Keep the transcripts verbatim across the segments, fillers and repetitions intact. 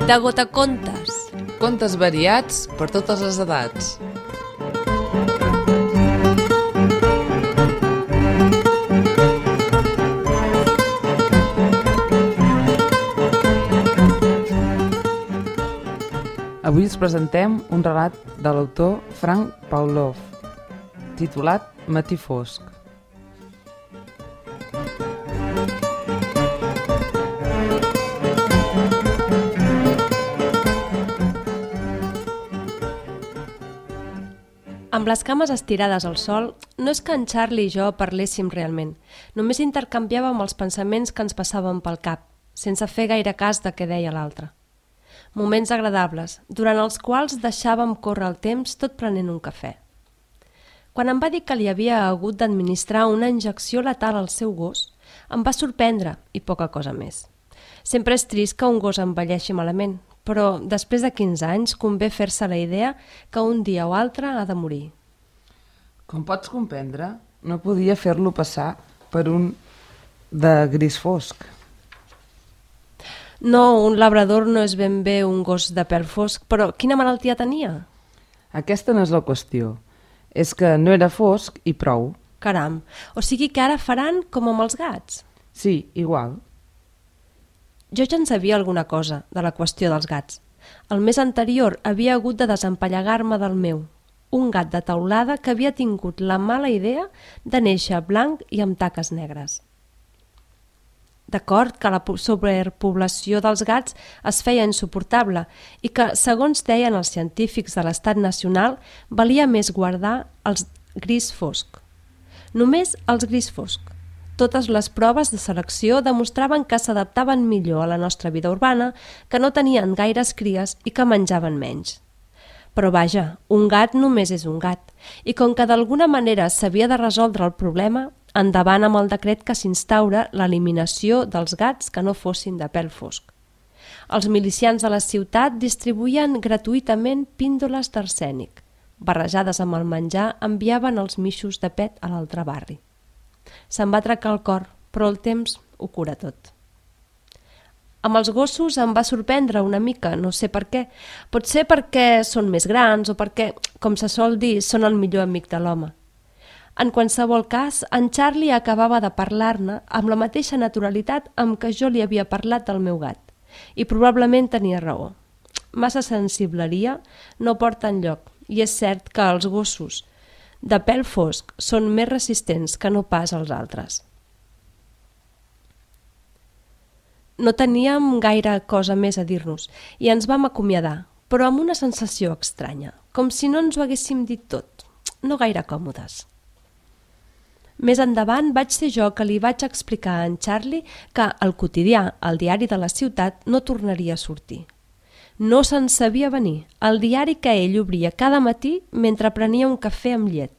De Gotacontes. Contes variats per totes les edats. Avui us presentem un relat de l'autor Frank Pavlov, titulat Matí fosc. Amb les cames estirades al sol, no és que en Charlie i jo parléssim realment, només intercanviàvem els pensaments que ens passaven pel cap, sense fer gaire cas de què deia l'altre. Moments agradables, durant els quals deixàvem córrer el temps tot prenent un cafè. Quan em va dir que li havia hagut d'administrar una injecció letal al seu gos, em va sorprendre i poca cosa més. Sempre és trist que un gos envelleixi malament, però després de quinze anys convé fer-se la idea que un dia o altre ha de morir. Com pots comprendre, no podia fer-lo passar per un de gris fosc. No, un labrador no és ben bé un gos de pèl fosc, però quina malaltia tenia? Aquesta no és la qüestió. És que no era fosc i prou. Caram, o sigui que ara faran com amb els gats? Sí, igual. Jo ja en sabia alguna cosa de la qüestió dels gats. El mes anterior havia hagut de desempallegar-me del meu, un gat de teulada que havia tingut la mala idea de néixer blanc i amb taques negres. D'acord que la sobrepoblació dels gats es feia insuportable i que, segons deien els científics de l'Estat Nacional, valia més guardar els gris fosc. Només els gris fosc. Totes les proves de selecció demostraven que s'adaptaven millor a la nostra vida urbana, que no tenien gaires cries i que menjaven menys. Però vaja, un gat només és un gat, i com que d'alguna manera s'havia de resoldre el problema, endavant amb el decret que s'instaura l'eliminació dels gats que no fossin de pèl fosc. Els milicians de la ciutat distribuïen gratuïtament píndoles d'arsènic. Barrejades amb el menjar enviaven els mixos de pet a l'altre barri. Se'm va trencar el cor, però el temps ho cura tot. Amb els gossos em va sorprendre una mica, no sé per què. Potser perquè són més grans o perquè, com se sol dir, són el millor amic de l'home. En qualsevol cas, en Charlie acabava de parlar-ne amb la mateixa naturalitat amb què jo li havia parlat del meu gat. I probablement tenia raó. Massa sensibleria no porta enlloc, i és cert que els gossos de pèl fosc són més resistents que no pas els altres. No teníem gaire cosa més a dir-nos i ens vam acomiadar, però amb una sensació estranya, com si no ens ho haguéssim dit tot, no gaire còmodes. Més endavant vaig ser jo que li vaig explicar a en Charlie que el quotidià, el diari de la ciutat, no tornaria a sortir. No se'n sabia venir, el diari que ell obria cada matí mentre prenia un cafè amb llet.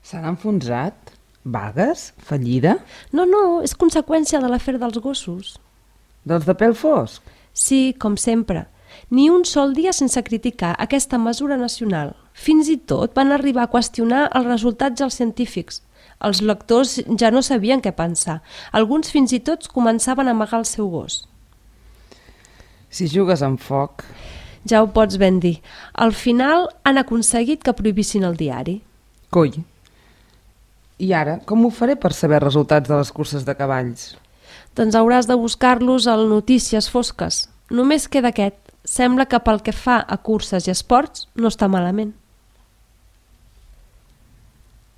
S'han enfonsat? Vagues? Fallida? No, no, és conseqüència de l'afer dels gossos. Dels de pèl fosc? Sí, com sempre. Ni un sol dia sense criticar aquesta mesura nacional. Fins i tot van arribar a qüestionar els resultats dels científics. Els lectors ja no sabien què pensar. Alguns fins i tot començaven a amagar el seu gos. Si jugues amb foc... Ja ho pots ben dir. Al final han aconseguit que prohibissin el diari. Coi. I ara, com ho faré per saber resultats de les curses de cavalls? Doncs hauràs de buscar-los al Notícies Fosques. Només queda aquest. Sembla que pel que fa a curses i esports no està malament.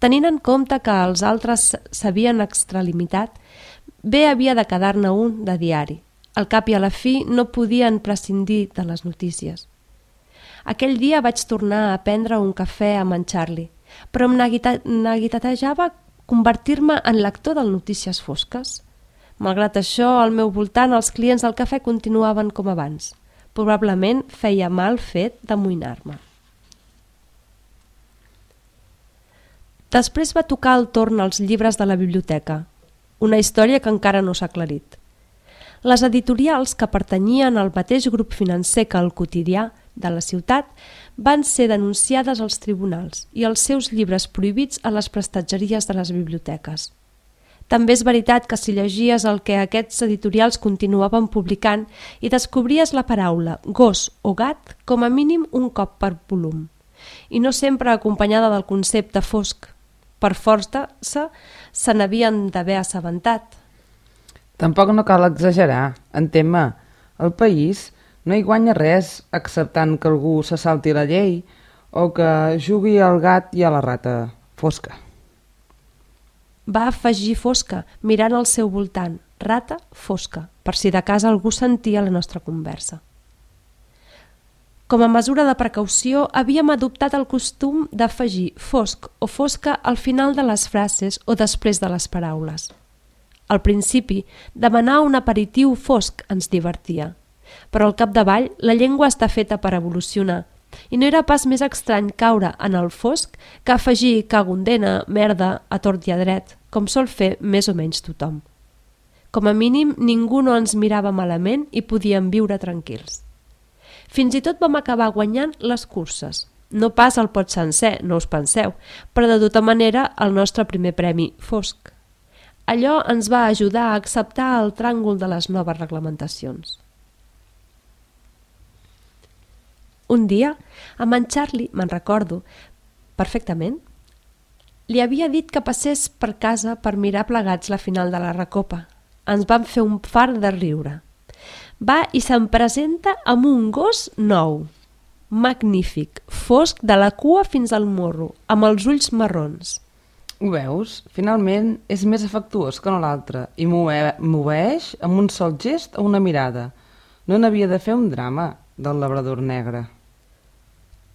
Tenint en compte que els altres s'havien extralimitat, bé havia de quedar-ne un de diari. Al cap i a la fi no podien prescindir de les notícies. Aquell dia vaig tornar a prendre un cafè amb en Charlie, però em neguitatejava convertir-me en lector del Notícies Fosques. Malgrat això, al meu voltant els clients del cafè continuaven com abans. Probablement feia mal fet d'amoïnar-me. Després va tocar el torn als llibres de la biblioteca, una història que encara no s'ha aclarit. Les editorials que pertanyien al mateix grup financer que el quotidià de la ciutat van ser denunciades als tribunals i els seus llibres prohibits a les prestatgeries de les biblioteques. També és veritat que si llegies el que aquests editorials continuaven publicant i descobries la paraula gos o gat com a mínim un cop per volum, i no sempre acompanyada del concepte fosc. Per força se n'havien d'haver assabentat. Tampoc no cal exagerar, entén-me. El país no hi guanya res acceptant que algú se salti la llei o que jugui al gat i a la rata fosca. Va afegir fosca, mirant al seu voltant, rata fosca, per si de cas algú sentia la nostra conversa. Com a mesura de precaució, havíem adoptat el costum d'afegir fosc o fosca al final de les frases o després de les paraules. Al principi, demanar un aperitiu fosc ens divertia, però al capdavall la llengua està feta per evolucionar i no era pas més estrany caure en el fosc que afegir cagondena, merda, a tort i a dret, com sol fer més o menys tothom. Com a mínim, ningú no ens mirava malament i podíem viure tranquils. Fins i tot vam acabar guanyant les curses. No pas el pot sencer, no us penseu, però de tota manera el nostre primer premi fosc. Allò ens va ajudar a acceptar el tràngol de les noves reglamentacions. Un dia, amb en Charlie, me'n recordo perfectament, li havia dit que passés per casa per mirar plegats la final de la Recopa. Ens vam fer un far de riure. Va i se'm presenta amb un gos nou, magnífic, fosc de la cua fins al morro, amb els ulls marrons. Ho veus? Finalment és més afectuós que no l'altre i m'obeeix amb un sol gest o una mirada. No n'havia de fer un drama del labrador negre.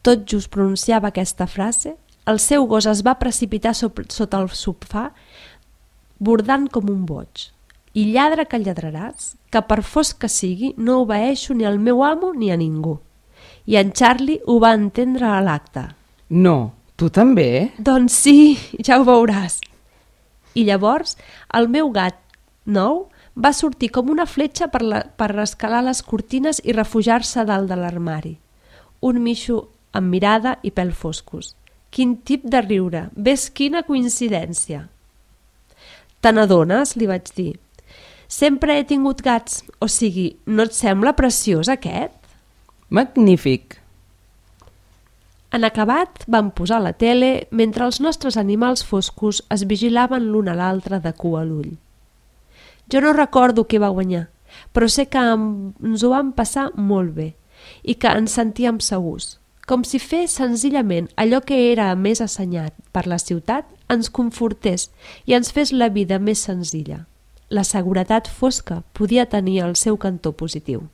Tot just pronunciava aquesta frase, el seu gos es va precipitar sota el sofà, bordant com un boig. I lladra que lladraràs, que per fosc que sigui no obeeixo ni al meu amo ni a ningú. I en Charlie ho va entendre a l'acte. No, tu també? Doncs sí, ja ho veuràs. I llavors el meu gat nou va sortir com una fletxa per, la, per escalar les cortines i refugiar-se dalt de l'armari. Un mixo amb mirada i pèl foscos. Quin tip de riure, ves quina coincidència. Te n'adones? Li vaig dir. Sempre he tingut gats, o sigui, no et sembla preciós aquest? Magnífic! En acabat vam posar la tele mentre els nostres animals foscos es vigilaven l'un a l'altre de cua a l'ull. Jo no recordo qui va guanyar, però sé que ens ho vam passar molt bé i que ens sentíem segurs, com si fes senzillament allò que era més assenyat per la ciutat ens confortés i ens fes la vida més senzilla. La seguretat fosca podia tenir el seu cantó positiu.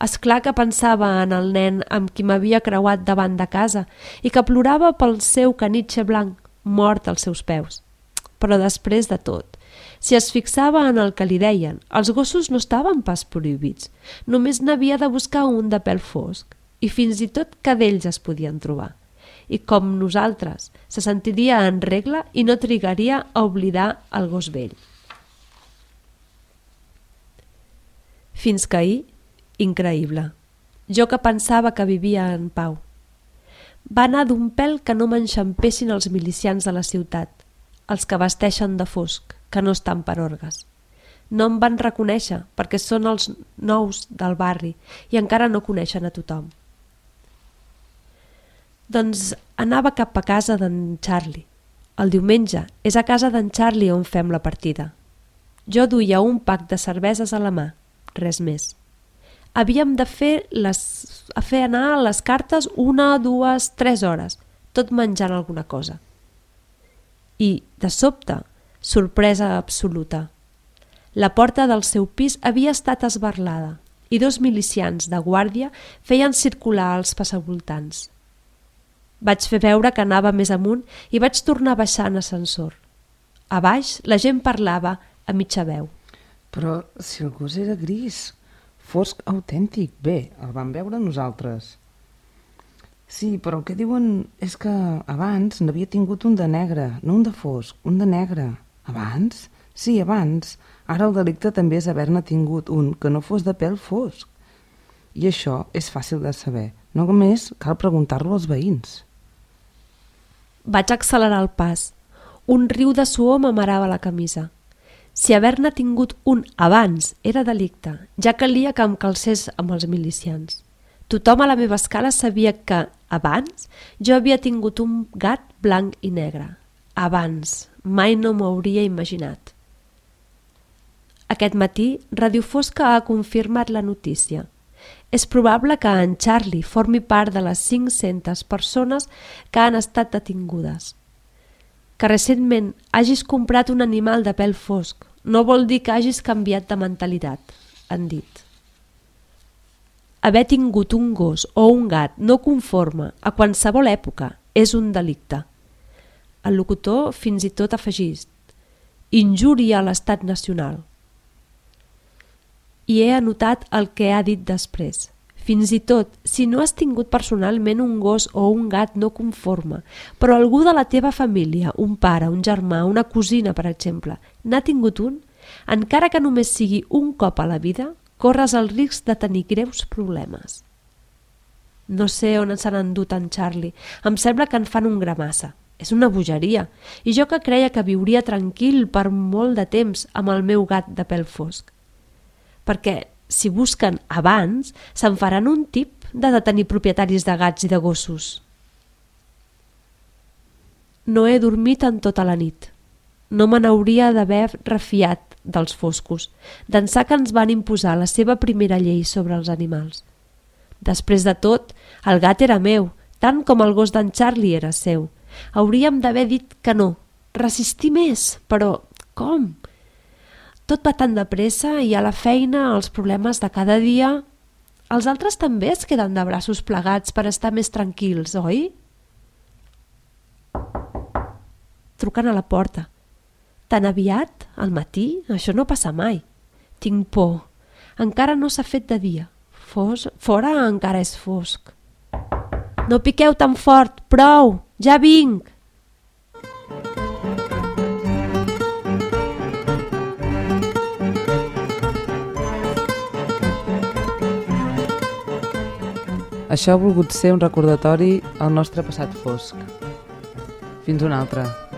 És clar que pensava en el nen amb qui m'havia creuat davant de casa i que plorava pel seu canitxe blanc, mort als seus peus. Però després de tot, si es fixava en el que li deien, els gossos no estaven pas prohibits, només n'havia de buscar un de pèl fosc i fins i tot cadells es podien trobar. I com nosaltres, se sentiria en regla i no trigaria a oblidar el gos vell. Fins que ahir, increïble. Jo que pensava que vivia en pau. Va anar d'un pèl que no m'enxampessin els milicians de la ciutat, els que vesteixen de fosc, que no estan per orgues. No em van reconèixer perquè són els nous del barri i encara no coneixen a tothom. Doncs anava cap a casa d'en Charlie. El diumenge és a casa d'en Charlie on fem la partida. Jo duia un pack de cerveses a la mà, res més. Havíem de fer, les, a fer anar les cartes una, dues, tres hores, tot menjant alguna cosa. I, de sobte, sorpresa absoluta. La porta del seu pis havia estat esbarlada i dos milicians de guàrdia feien circular els passavoltants. Vaig fer veure que anava més amunt i vaig tornar a baixar en ascensor. A baix la gent parlava a mitja veu. Però si el gos era gris, fosc autèntic, bé, el vam veure nosaltres. Sí, però el que diuen és que abans n'havia tingut un de negre, no un de fosc, un de negre. Abans? Sí, abans. Ara el delicte també és haver-ne tingut un que no fos de pèl fosc. I això és fàcil de saber. Només cal preguntar-lo als veïns. Vaig accelerar el pas. Un riu de suor m'amarava la camisa. Si haver-ne tingut un abans era delicte, ja calia que em calcés amb els milicians. Tothom a la meva escala sabia que, abans, jo havia tingut un gat blanc i negre. Abans, mai no m'ho hauria imaginat. Aquest matí, Ràdio Fosca ha confirmat la notícia. És probable que en Charlie formi part de les cinc-centes persones que han estat detingudes. Que recentment hagis comprat un animal de pèl fosc no vol dir que hagis canviat de mentalitat, han dit. Haver tingut un gos o un gat no conforme a qualsevol època és un delicte. El locutor fins i tot afegís: injúria a l'estat nacional. I he anotat el que ha dit després. Fins i tot si no has tingut personalment un gos o un gat no conforme, però algú de la teva família, un pare, un germà, una cosina, per exemple, n'ha tingut un, encara que només sigui un cop a la vida, corres el risc de tenir greus problemes. No sé on s'han endut en Charlie. Em sembla que en fan un gramassa. És una bogeria. I jo que creia que viuria tranquil per molt de temps amb el meu gat de pèl fosc. Perquè si busquen abans, se'n faran un tip de detenir propietaris de gats i de gossos. No he dormit en tota la nit. No me n'hauria d'haver refiat dels foscos, d'ençà que ens van imposar la seva primera llei sobre els animals. Després de tot, el gat era meu, tant com el gos d'en Charlie era seu. Hauríem d'haver dit que no, resistir més, però com? Tot va tan de pressa i a la feina els problemes de cada dia. Els altres també es queden de braços plegats per estar més tranquils, oi? Truquen a la porta. Tan aviat, al matí, això no passa mai. Tinc por. Encara no s'ha fet de dia. Fos, fora encara és fosc. No piqueu tan fort, prou, ja vinc! Això ha volgut ser un recordatori al nostre passat fosc. Fins una altra.